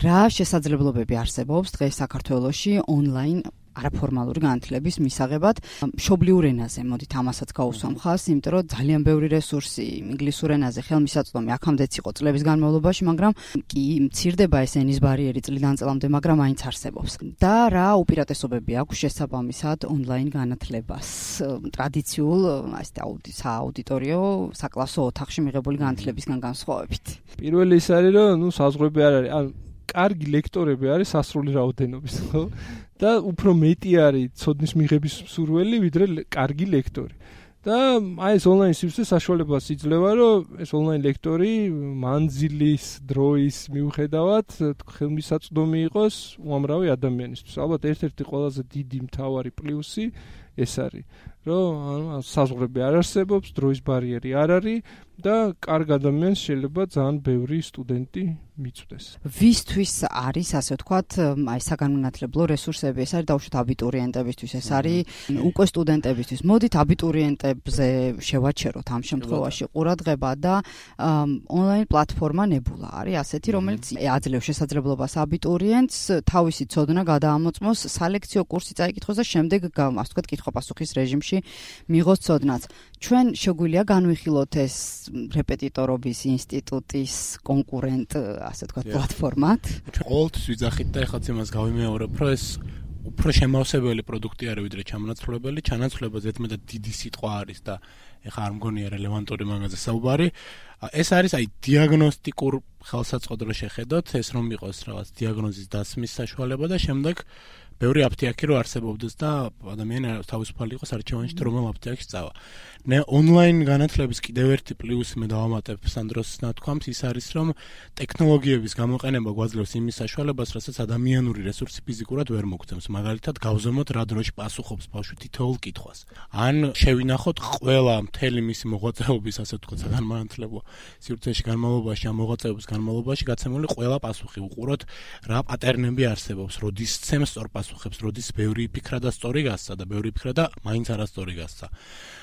რა შესაძლებლობები არსებობს დღეს საქართველოში ონლაინ არაფორმალური განათლების მისაღებად მშობლიურ ენაზე. მოდით ამასაც გავუსვამ ხაზს, იმიტომ რომ ძალიან ბევრი რესურსი ინგლისურ ენაზე ხელმისაწვდომი აქამდეც იყო წლების განმავლობაში, მაგრამ კი მცირდება ეს ენის ბარიერი წლიდან წლამდე, მაგრამ მაინც არსებობს. და რა უპირატესობები აქვს შესაბამისად ონლაინ განათლებას ტრადიციულ სააუდიტორიო საკლასო ოთახში მიღებული განათლებისგან განსხვავებით? პირველი ის არის, რომ საზღვრები არ არის, კარგი ლექტორები არის სასრული რაოდენობის, ხო? და უფრო მეტი არის ცოდნის მიღების მსურველი, ვიდრე კარგი ლექტორი. და აი ეს ონლაინ სივრცე საშუალებას იძლევა, რომ ეს ონლაინ ლექტორი მანძილის, დროის მიუხედავად ხელმისაწვდომი იყოს უამრავი ადამიანისთვის. ალბათ ერთ-ერთი ყველაზე დიდი მთავარი პლუსი ეს არის, რომ საზღვრები არ არსებობს, დროის ბარიერი არ არის და კარგ ადამიანს შეიძლება ძალიან ბევრი სტუდენტი მიწვდეს. ვისთვის არის, ასე ვთქვათ, აი საგანმანათლებლო რესურსები, ეს არის დაუშვათ აბიტურიენტებისთვის, ეს არის უკვე სტუდენტებისთვის. მოდით აბიტურიენტებზე შევაჩეროთ ამ შემთხვევაში ყურადღება და ონლაინ პლატფორმა ნებულა არის ასეთი, რომელიც აძლევს შესაძლებლობას აბიტურიენტს თავისი ცოდნა გადაამოწმოს, სალექციო კურსი წაიკითხოს და შემდეგ ასე ვთქვათ კითხვა-პასუხის რეჟიმში მიიღოს ცოდნაც. ჩვენ შეგვიძლია განვიხილოთ ეს რეპეტიტორობის ინსტიტუტის კონკურენტ, ასე ვთქვათ, პლატფორმად. ჩვენ ყოველთვის ვიძახით და ეხლაც იმას გავიმეორებ, რომ ეს უფრო შემავსებელი პროდუქტი არის, ვიდრე ჩამონაცვლებელი. ჩანაცვლება ზედმეტად დიდი სიტყვა არის და ეხლა არ მგონია რელევანტური მაგაზე საუბარი. ეს არის აი დიაგნოსტიკურ ხელსაწყოდრო შეხედოთ, ეს რომ იყოს რაღაც დიაგნოზის დასმის საშუალება და შემდეგ ბევრი აფთიაქი რო არსებობდეს და ადამიანი თავისუფალი იყოს არჩევანში თუ რომელ აფთიაქში წავა. ონლაინ განათლების კიდევ ერთი პლუსი მე დავამატებ სანდროს ნათქვამს, ის არის რომ ტექნოლოგიების გამოყენება გვაძლევს იმის საშუალებას, რასაც ადამიანური რესურსი ფიზიკურად ვერ მოგცემს. მაგალითად, გავზომოთ რა დროში პასუხობს ბავშვი თითოეულ კითხვას. ან შევინახოთ ყველა მთელი მისი მოღვაწეობის, ასე ვთქვათ, საგანმანათლებლო სივრცეში განმავლობაში, ამ მოღვაწეობის განმავლობაში გაცემული ყველა პასუხი. უყუროთ რა პატერნები არსებობს, როდის ცემს სწორ პასუხებს, როდის ბევრი ფიქრა და სწორი გასცა და ბევრი ფიქრა და მაინც არასწორი გასცა.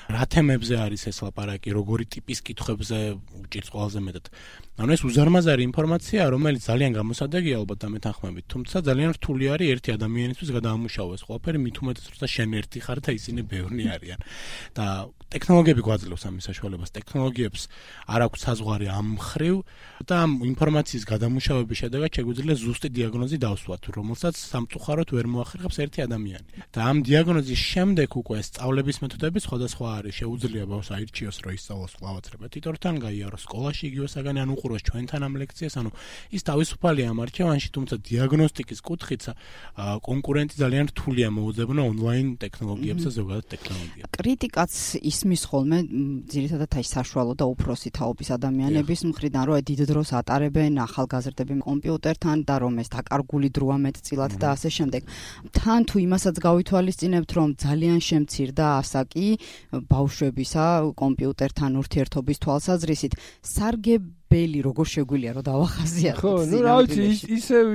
რა თემებზე არის ეს ლაპარაკი, როგორი ტიპის კითხვებზე უჭირს ყველაზე მეტად. ანუ ეს უზარმაზარი ინფორმაცია, რომელიც ძალიან გამოსადეგია ალბათ და მეთანხმებით, თუმცა ძალიან რთული არის ერთი ადამიანისთვის გადაამუშავოს ყველაფერი, მით უმეტეს როცა შენ ერთი ხარ და ისინი ბევრნი არიან. და ტექნოლოგიები გვაძლევს ამის საშუალებას. ტექნოლოგიებს არ აქვს საზღვარი ამ მხრივ და ამ ინფორმაციის გადამუშავების შედეგად შეგვიძლია ზუსტი დიაგნოზი დავსვათ, რომელსაც სამწუხაროდ ვერ მოახერხებს ერთი ადამიანი. და ამ დიაგნოზის შემდეგ უკვე სწავლების მეთოდები სხვადასხვა არის. შეუძლია ბავშვს აირჩიოს, რომ ისწავლოს კლავაც რეპეტიტორთან, გაიაროს სკოლაში იგივე საგანი, ან უყუროს ჩვენთან ამ ლექციას, ანუ ის თავისუფალია ამ არჩევანში, თუმცა დიაგნოსტიკის კუთხით კონკურენტი ძალიან რთულია მოუძებნა ონლაინ ტექნოლოგიებს და ზოგადად ტექნოლოგიებს. კრიტიკაც ისმის ხოლმე ძირითადად აი საშუალო და უფროსი თაობის ადამიანების მხრიდან, რომ დიდ დროს ატარებენ ახალგაზრდები კომპიუტერთან და რომ ეს დაკარგული დროა მეტწილად და ასე შემდეგ. თან თუ იმასაც გავითვალისწინებთ, რომ ძალიან შემცირდა ასაკი ბავშვებისა კომპიუტერთან ურთიერთობის თვალსაზრისით, სარგებელი როგორ შეგვიძლია რომ დავახაზიაროთ? ხო, ნუ რა ვიცი,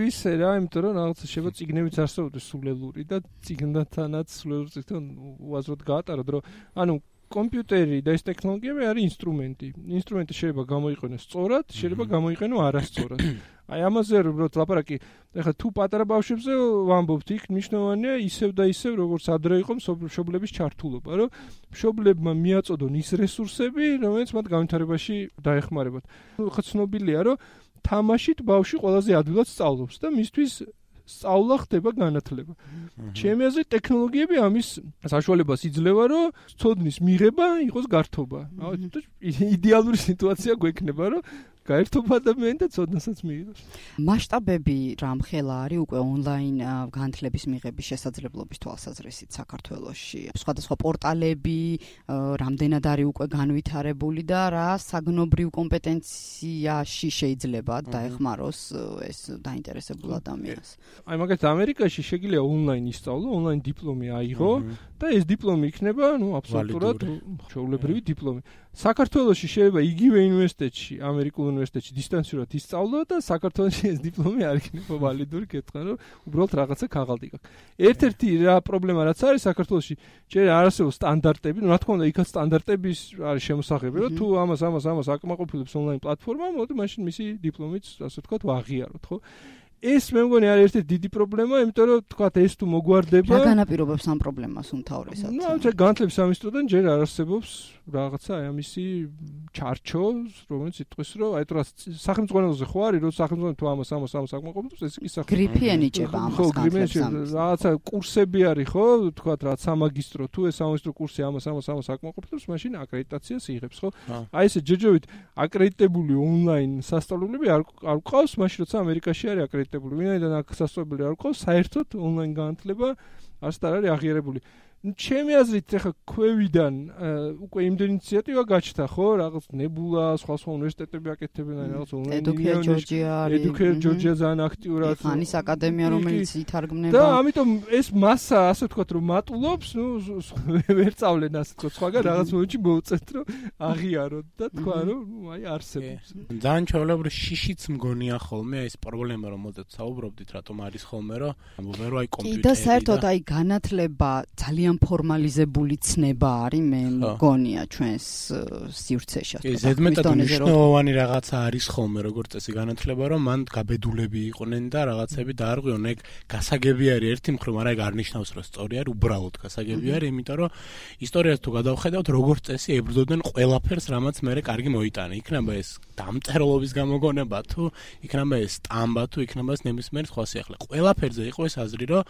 ისე რა, იმიტომ რომ რაღაცა შეიძლება წიგნებიც არსებობდეს სულელური და წიგნთანაც სულელური წიგნთან უაზროდ გაატაროთ, რომ ანუ კომპიუტერი და ეს ტექნოლოგიები არის ინსტრუმენტი. ინსტრუმენტი შეიძლება გამოიყენოს სწორად, შეიძლება გამოიყენოს არასწორად. აი ამაზე რომ ლაპარაკი, ეხლა თუ პატარა ბავშვებზე ვამბობთ, იქ მნიშვნელოვანია ისევ და ისევ როგორც ადრე იყო მშობლების ჩართულობა, რომ მშობლებმა მიაწოდონ ის რესურსები, რომელიც მათ განვითარებაში დაეხმარებათ. ხა ცნობილია, რომ თამაშით ბავშვი ყველაზე ადვილად სწავლობს და მისთვის სწავლა ხდება განათლება. ჩემი აზრით ტექნოლოგიები ამის საშუალებას იძლევა, რომ ცოდნის მიღება იყოს გართობა. იდეალური სიტუაცია გვექნება, რომ გაერთობა ადამიანი და ცოდნასაც მიიღოს. მასშტაბები რამხელა არის უკვე ონლაინ განათლების მიღების შესაძლებლობის თვალსაზრისით საქართველოში? სხვადასხვა პორტალები რამდენად არის უკვე განვითარებული და რა საგნობრივ კომპეტენციაში შეიძლება დაეხმაროს ეს დაინტერესებულ ადამიანს? აი მაგალითად ამერიკაში შეგიძლია ონლაინ ისწავლო, ონლაინ დიპლომი აიღო და ეს დიპლომი იქნება, აბსოლუტურად ჩვეულებრივი დიპლომი. საქართველოში შეიძლება იგივე უნივერსიტეტში, ამერიკულ უნივერსიტეტში დისტანციურად ისწავლო და საქართველოში ეს დიპლომი არ იქნება ვალიდური, კითხვა, რომ უბრალოდ რაღაცა ქაღალდი გაქვს. ერთ-ერთი რა პრობლემა რაც არის საქართველოში, ჯერ არ არსებობს სტანდარტები, რა თქმა უნდა, იქაც სტანდარტების არის შემოსაღები, რომ თუ ამას აკმაყოფილებს ონლაინ პლატფორმა, მოდი მაშინ მისი დიპლომიც, ასე ვთქვათ, ვაღიაროთ, ხო? ეს მე მგონი არის ერთი დიდი პრობლემა, იმიტომ რომ თქვა ეს თუ მოგვარდება. რა განაპირობებს ამ პრობლემას უმთავრესად? განათლების სამინისტროდან ჯერ არ არსებობს რაღაცა აი ამისი ჩარჩო, რომელიც იტყვის, რომ აი თუ სახელმწიფოზე ხო არის, რომ სახელმწიფო თუ ამას აკმაყოფილებს, ეს კი გრიფი ენიჭება ამას განათლებას. რაღაცა კურსები არის ხო, თქვა რა სამაგისტრო თუ ეს სამაგისტრო კურსი ამას აკმაყოფილებს, მაშინ აკრედიტაციას იღებს ხო? აი ესე ჯერჯერობით აკრედიტებული ონლაინ სასწავლებლები არ ყავს, მაშინ როცა ამერიკაში არის აკრედიტებული, ვინაიდან აქ სასწავლებელი არ ყავს, საერთოდ ონლაინ განათლება არც არ არის აღიარებული. ჩემი აზრით ახლა ქვევიდან უკვე იმდენი ინიციატივა გაჩნდა ხო, რაღაც ნებულა, სხვა უნივერსიტეტები აკეთებენ რაღაც ონლაინ Educare Georgia ძალიან აქტიურად ხანის აკადემია რომელიც ითარგმნება და ამიტომ ეს მასა ასე ვთქვათ რომ მატულობს, ვერ წავლენ ასე ვთქვათ, სხვაგან რაღაც მომენტში მოუწევთ რომ აღიაროთ და თქვა რომ აი არსებობს. ძალიან ჩვეულებრივ შიშიც მგონია ხოლმე ეს პრობლემა რომელზეც საუბრობდით, რატომ არის ხოლმე რომ ამბობენ რომ აი კომპიუტერი და საერთოდ აი განათლება ძალიან ფორმალიზებული ცნება არის მე მგონია ჩვენს სივრცეში. ზედმეტად მნიშვნელოვანი რაღაცა არის ხოლმე როგორც წესი განათლება რომ მან გაბედულები იყვნენ და რაღაცები დაარღვიონ. ეგ გასაგები არის ერთი მხრივ, მაგრამ ეგ არ ნიშნავს რომ სწორი არის, უბრალოდ გასაგები არის, იმიტომ რომ ისტორიას თუ გადავხედავთ როგორც წესი ებრძოდნენ ყველაფერს რამაც მე კარგი მოიტანა. იქნება ეს დამწერლობის გამოგონება თუ იქნება ეს სტამბა თუ იქნება ეს ნებისმიერ სხვა სიახლე. ყველაფერზე იყო ეს აზრი რომ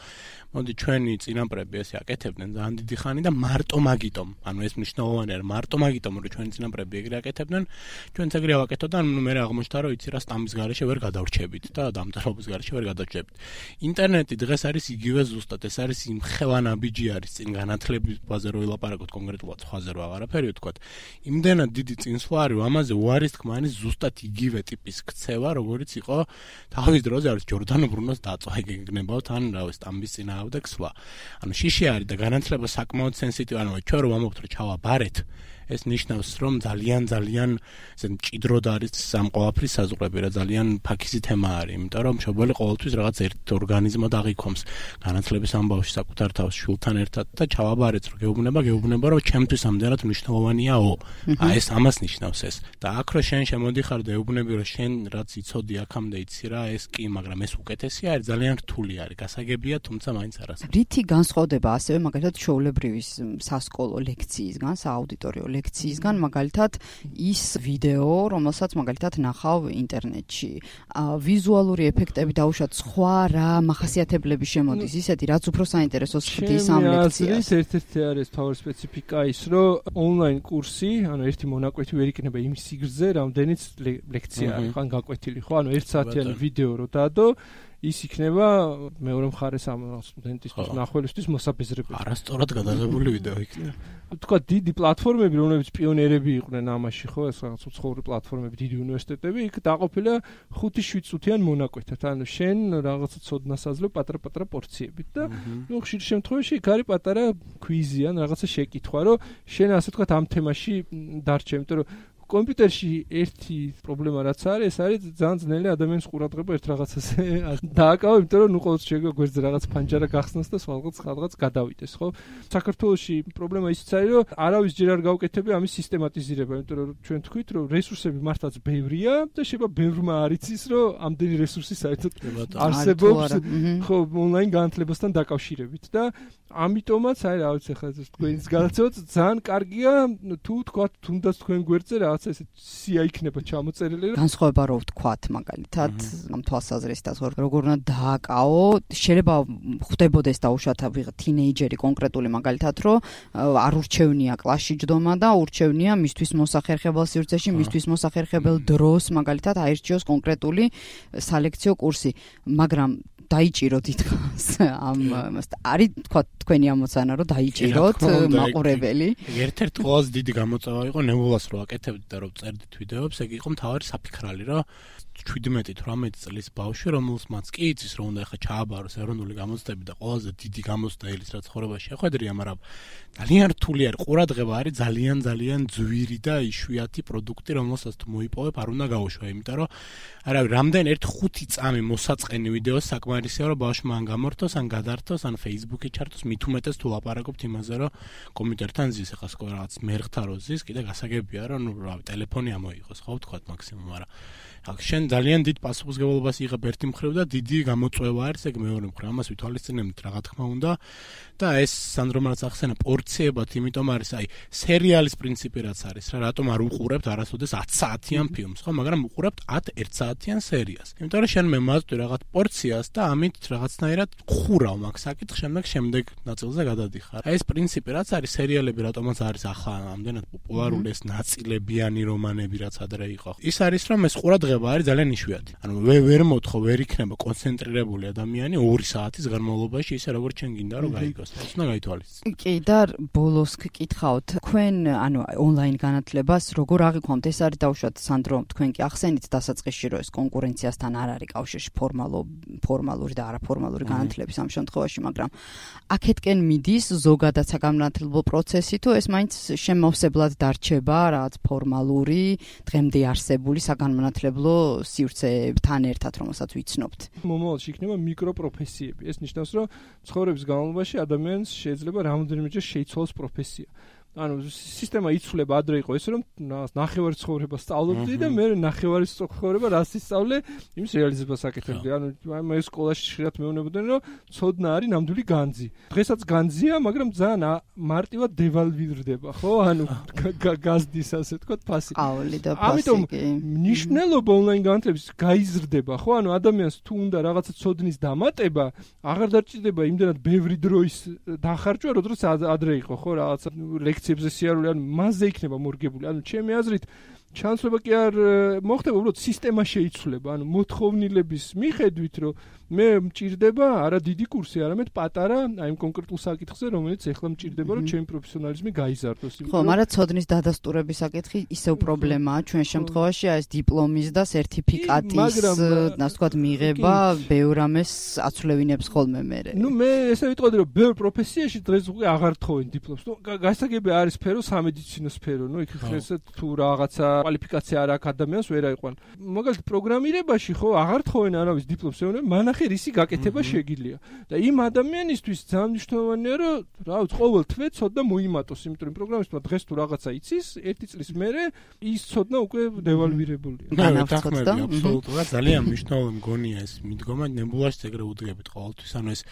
მოდი ჩვენი წინაპრები ესე აკეთებდნენ ძალიან დიდი ხანი და მარტო მაგიტომ, ანუ ეს მნიშვნელოვანი არის, მარტო მაგიტომ რომ ჩვენი წინაპრები ეგრე აკეთებდნენ, ჩვენც ეგრე ავაკეთოთ და მე აღმოჩნდა რომ იცი რა სტამბის გარეშე ვერ გადავრჩებით და დამწერლობის გარეშე ვერ გადავრჩებით. ინტერნეტი დღეს არის იგივე ზუსტად, ეს არის იმ ხელანაბიჯი არის წინ განათლების ბაზე რო ვილაპარაკოთ კონკრეტულად სხვაზე რო აღარაფერი ვთქვათ. იმდენად დიდი წინსვლა არის, ამაზე უარის თქმა არის ზუსტად იგივე ტიპის ქცევა, როგორიც იყო თავის დროზე არის ჯორდანო ბრუნოს დაწვა, ეგნებავთ ან რა ვიცი სტამბის წინააღმდეგ სვლა. ანუ შიში არის და განათლება საკმაოდ სენსიტივი, ანუ ჩვენ რომ ამობთ რომ ჩავაბარეთ, ეს ნიშნავს რომ ძალიან ესე მჭიდროდ არის ამ ყველაფრის საზღვრები რა ძალიან ფაქიზი თემა არის, იმიტომ რომ მშობელი ყოველთვის რაღაც ერთ ორგანიზმად აღიქომს განათლების ამბავში საკუთარ თავს შვილთან ერთად და ჩავაბარეთ რომ გეუბნება რომ ჩემთვის ამდენად მნიშვნელოვანიაო. აი ეს ამას ნიშნავს ეს. და აქ რო შენ შემოდიხარ და ეუბნები რომ შენ რაც იცოდი აქამდე იცი რა, ეს კი, მაგრამ ეს უკეთესი არის, ძალიან რთული არის, გასაგებია, თუმცა მაინც არასდროს. რითი განსხვავდება ასევე მაგალითად ჩვეულებრივი სასკოლო ლექციისგან, სააუდიტორიო ლექციისგან, მაგალითად ის ვიდეო, რომელსაც მაგალითად ნახავ ინტერნეტში. ვიზუალური ეფექტები დაუშვათ სხვა რა მახასიათებლები შემოდის, ისეთი რაც უფრო საინტერესოს ხდის ამ ლექციას. ერთ-ერთი არის თავის სპეციფიკა ის, რომ ონლაინ კურსი, ანუ ერთი მონაკვეთი ვერ იქნება იმის სიგრძე, რამდენიც ლექცია არის, ხან გაკვეთილი, ხო? ანუ 1 საათიანი ვიდეო რო დადო, ის იქნება მეორე მხარეს ამ სტუდენტისთვის, მნახველისთვის მოსაბეზრებელი. არასწორად გადაღებული ვიდეო იქნება. თქვა დიდი პლატფორმები, რომლებიც პიონერები იყვნენ ამაში, ხო, ეს რაღაც უცხოური პლატფორმები, დიდი უნივერსიტეტები, იქ დაყოფილია 5-7 წუთიან მონაკვეთად. ანუ შენ რაღაცა ცოდნას აძლევ პატარ-პატარა პორციებით და ხშირ შემთხვევაში იქ არის პატარა ქვიზი ან რაღაცა შეკითხვა, რომ შენ ასე თქვა ამ თემაში დარჩე, იმიტომ რომ კომპიუტერში ერთი პრობლემა რაც არის, ეს არის ძალიან ძნელი ადამიანის ყურადღება ერთ რაღაცაზე დააკავო, იმიტომ რომ ყოველთვის შეგა გვერდზე რაღაც ფანჯარა გახსნას და სხვადღაც გადავიდეს, ხო? საქართველოში პრობლემა ისიც არის, რომ არავის ჯერ არ გავუკეთები ამის სისტემატიზირება, იმიტომ რომ ჩვენ თქვით, რომ რესურსები მართლაც ბევრია და შეიძლება ბევრმა არ იცის, რომ ამდენი რესურსი საერთოდ არსებობს, ხო, ონლაინ განათლებასთან დაკავშირებით და ამიტომაც აი რა ვიცი ხა თქვენს გადაცემაც ძალიან კარგია თუ თქვა თუნდაც თქვენ გვერდზე რაღაცა ესე სია იქნება ჩამოწერილი რომ განსხვავება რო ვთქვათ მაგალითად ამ თვალსაზრისით როგორ უნდა დააკავო შეიძლება ხვდებოდეს დაუშვათ ვიღა თინეიჯერი კონკრეტული მაგალითად რომ არ ურჩევნია კლასში ჯდომა და ურჩევნია მისთვის მოსახერხებელ სივრცეში მისთვის მოსახერხებელ დროს მაგალითად აირჩიოს კონკრეტული სალექციო კურსი მაგრამ დაიჭიროთ ითქოს ამ არის თქვა თქვენი ამოცანა რომ დაიჭიროთ მაყურებელი ერთ-ერთი ყველაზე დიდი გამოწვევა იყო ნებულას რო აკეთებდით და რო წერდით ვიდეოებს ეგ იყო მთავარი საფიქრალი რომ 17-18 წლის ბავშვი რომელს მას კი იცის რომ უნდა ახლა ჩააბაროს ეროვნული გამოცდები და ყველაზე დიდი გამოცდა ელის რა ცხოვრებაში შეხვედრია მაგრამ ძალიან რთული არის ყურადღება არის ძალიან ძვირი და იშვიათი პროდუქტი რომელსაც თუ მოიპოვებ არ უნდა გაუშვა იმიტომ რომ არავი რამდენ 1-5 წამი მოსაწყენი ვიდეოს საკმარისია რომ ბავშვმა ან გამორთოს ან გადართოს ან Facebook-ი ჩართოს მით უმეტეს თუ ლაპარაკობთ იმაზე რომ კომპიუტერთან ზის ახლა სკოლა რაღაც მერხთა რო ზის კიდე გასაგებია რომ ნუ რავი ტელეფონი ამოიღოს ხო ვთქვათ მაქსიმუმ მაგრამ აქ შენ ძალიან დიდ პასუხისმგებლობას იღებ ერთი მხრივ და დიდი გამოწვევა არის ეგ მეორე მხრივ. ამას ვითვალისწინებთ რა თქმა უნდა და ეს სანდრომაც ახსენა პორციებად, იმიტომ არის აი სერიალის პრინციპი რაც არის რა, რატომ არ უყურებთ არასოდეს 10 საათიან ფილმს, ხო, მაგრამ უყურებთ 10 1 საათიან სერიას. იმიტომ რომ შენ მე მაწვდი რაღაც პორციას და ამით რაღაცნაირად ხურავ მაგ საკითხს, შემდეგ ნაწილზე გადადიხარ. აი ეს პრინციპი რაც არის სერიალები, რატომაც არის ახლა ამდენად პოპულარული ეს ნაწილებიანი რომანები რაც ადრე იყო. ის არის რომ ეს ყურადღება არის ძალიან იშვიათი. ანუ ვერ მოთხო, ვერ იქნება კონცენტრირებული ადამიანი 2 საათის განმავლობაში ისე როგორც შენ გინდა რომ გაიგოს. ეს უნდა გაითვალისწინო. კი და ბოლოს გკითხავთ, თქვენ ანუ ონლაინ განათლებას როგორ აღიქვამთ? ეს არის დაუშვათ სანდრო, თქვენ კი ახსენით დასაწყისში რომ ეს კონკურენციასთან არ არის კავშირში ფორმალური და არაფორმალური განათლების ამ შემთხვევაში, მაგრამ აქეთკენ მიდის ზოგადად საგანმანათლებლო პროცესი თუ ეს მაინც შემავსებლად დარჩება რაღაც ფორმალური დღემდე არსებული საგანმანათლებლო სივრცეებთან ერთად, რომელსაც ვიცნობთ. მომავალში იქნება მიკროპროფესიები. ეს ნიშნავს, რომ ცხოვრების განმავლობაში ადამიანს შეიძლება რამოდენიმეჯერ შეიცვალოს პროფესია. ანუ სისტემა იცვლება ადრე იყო ეს რომ ნახევარი ცხოვრება სწავლობდი და მე ნახევარი ცხოვრება რას ისწავლე იმის რეალიზებას აკეთებდი. ანუ მე სკოლაში ხშირად მეუბნებოდნენ რომ ცოდნა არის ნამდვილი განძი. დღესაც განძია, მაგრამ ძალიან მარტივად დევალვირდება, ხო? ანუ გაზდის ასე თქვა ფასი. ყავალი და ფასი. ამიტომ მნიშვნელობა ონლაინ განათლების გაიზრდება, ხო? ანუ ადამიანს თუ უნდა რაღაცა ცოდნის დამატება, აღარ დაჭირდება იმდენად ბევრი დროის დახარჯვა, როდესაც ადრე იყო, ხო? რაღაცა ლექციებზე სიარული, ანუ მასზე იქნება მორგებული. ანუ ჩემი აზრით ჩანსება კი არ მოხდება, უბრალოდ სისტემა შეიცვლება. ანუ მოთხოვნილების მიხედვით, რომ მე მჭირდება არა დიდი კურსი, არამედ პატარა, აი იმ კონკრეტულ საკითხზე, რომელიც ეხლა მჭირდება, რომ ჩემი პროფესიონალიზმი გაიზარდოს. ხო, მაგრამ ცოდნის დადასტურების საკითხი ისევ პრობლემაა ჩვენ შემთხვევაში, აი ეს დიპლომის და სერტიფიკატის, ასე ვთქვათ, მიღება ბევრ ამას აცვლევინებს ხოლმე მერე. ნუ მე ესე ვიტყოდი, რომ ბევრ პროფესიაში დღეს უკვე აღარ თხოვენ დიპლომს. ნუ გასაგები არის სფერო, სამედიცინო სფერო, ნუ იქ ესე თუ რაღაცა კვალიფიკაცია არ აქვს ადამიანს ვერ აიყვან. მაგალითად პროგრამირებაში ხო აღარ თხოვენ არავის დიპლომს, მანახე რისი გაკეთება შეგიძლია. და იმ ადამიანისთვის ძალიან მნიშვნელოვანია რომ რა ვიცი ყოველ თვე ცოდნა მოიმატოს, იმიტომ რომ პროგრამისტმა დღეს თუ რაღაცა იცის, 1 წლის მერე ის ცოდნა უკვე დევალვირებულია. აბსოლუტურად ძალიან მნიშვნელოვანი მგონია ეს მიდგომა, ნებულაშიც ეგრე უდგებით ყოველთვის, ანუ ეს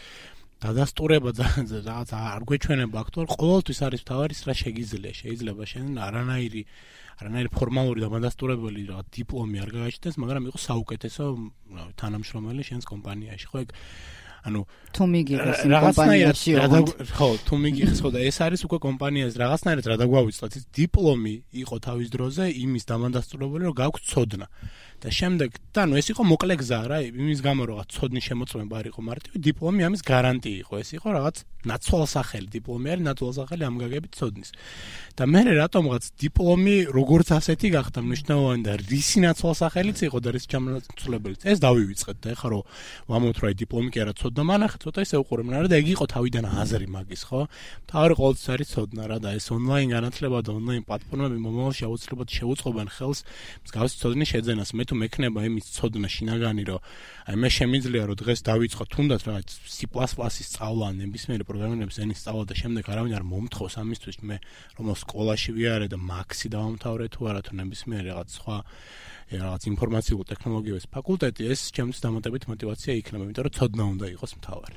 დადასტურება რაღაცა არ გვეჩვენება აქ, ყოველთვის არის თავარი რა შეგიძლია, შეიძლება შენ არანაირი ფორმალური და დადასტურებელი რაღაც დიპლომი არ გააჩნდეს, მაგრამ იყო საუკეთესო თანამშრომელი შენს კომპანიაში, ხო ეგ ანუ თუ მიგიღეს იმ კომპანიაში ხო თუ მიგიღეს ხო და ეს არის უკვე კომპანიას რაღაცნაირად რა დაგვავიწყოთ ის დიპლომი იყო თავის დროზე იმის დამადასტურებელი რომ გაქვს ცოდნა და შემდეგ და ნუ ეს იყო მოკლე გზა რა იმის გამო რომ ცოდნის შემოწმება არ იყო მარტივი დიპლომი ამის გარანტია იყო ეს იყო რაღაც ნაცვალსახელი დიპლომი არის ნაცვალსახელი ამ გაგებით ცოდნის და მე რატომღაც დიპლომი როგორც ასეთი გახდა მნიშვნელოვანი და რისი ნაცვალსახელიც იყო და რის ჩამონაცვლებელიც ეს დავივიწყეთ და ეხლა რომ ვამბობთ რომ აი დიპლომი კი არა ცოდნა მანახე ცოტა ისე უყურებენ რა და ეგ იყო თავიდან აზრი მაგის ხო თავი ყოველთვის არის ცოდნა რა და ეს ონლაინ განათლება და ონლაინ პლატფორმები მომავალში აუცილებლად შეუწყობენ ხელს მსგავსი ცოდნის შეძენას მე თუ მექნება იმის ცოდნა შინაგანი რომ აი მე შემიძლია რომ დღეს დავიწყო თუნდაც რაღაც C++-ის სწავლა ნებისმიერი პროგრამირების ენის სწავლა და შემდეგ არავინ არ მომთხოვს ამისთვის მე რომ სკოლაში ვიარე და მაქსი დავამთავრე თუ არა თუ ნებისმიერი რაღაც სხვა რაღაც ინფორმაციულ ტექნოლოგიების ფაკულტეტი ეს ჩემთვის დამატებით мотиваცია იქნება იმიტომ რომ ცოდნა უნდა იყოს მთავარი